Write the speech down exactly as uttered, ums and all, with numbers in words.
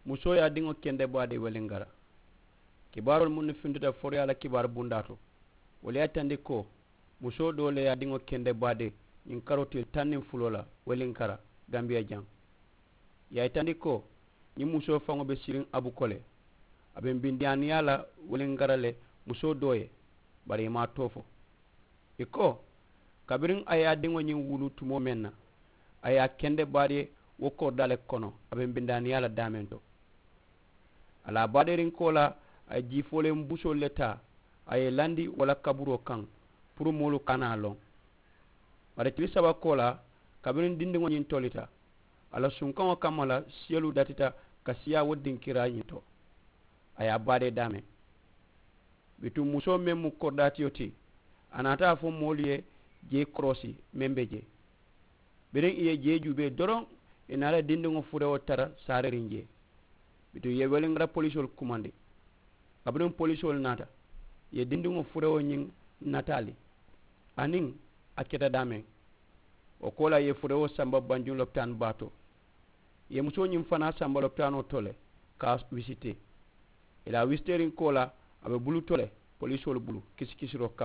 Musoo ye a diŋo kende baadee weliŋ kara. Kibaaroolu mennu fintuta foroyaa la kibaaru bundaa to, wolu ye a yitandi ko musoo doo le ye a diŋo kende baadee ñiŋ karoo tili taŋ niŋ fuloo la weliŋ kara, gambiya jaŋ. Ì ye a yitandi ko ñiŋ musoo faŋo be siriŋ abuko le. A be mbindiyaaniyaa la weliŋ kara le musoo doo ye. Bari ì maŋ a too fo. Ì ko, kabiriŋ a ye a diŋo ñiŋ wulu tumoo meŋ na, a ye a kende baadee wo koridaa le kono, a be mbindiyaaniyaa la daameŋ to. A la a baadeeriŋ koolaa, a ye jii fooleŋ busoolu le taa, a ye ì landi wo la kaburoo kaŋ puru moolu kana a loŋ. Bari tili saba koolaa, kabiriŋ dindiŋo ñiŋ tolita a la sunkaŋo kamma la, siyolu datita ka siyaa wo dinkiraa ñiŋ to. A ye a baadee daameŋ. Bituŋ musoo meŋ mu koridaatiyo ti, a naata a fo moolu ye jee koroosi meŋ be jee. Biriŋ ì ye jee juubee doroŋ, ì naata dindiŋo furewo tara saaririŋ jee. Bituŋ ì ye weliŋara polisoolu kumandi. Kabiriŋ polisoolu naata, ì ye dindiŋo furewo ñiŋ nataali aniŋ a keta daameŋ. Wo koolaa ì ye furewo samba banjuŋ lopitaani baa to. Ì ye musoo ñiŋ fanaa samba lopitaanoo to le ka a wisitee. Ì la a wisiteeriŋ koolaa, a be bulu to le polisoolu bulu kisikisiroo kaŋ.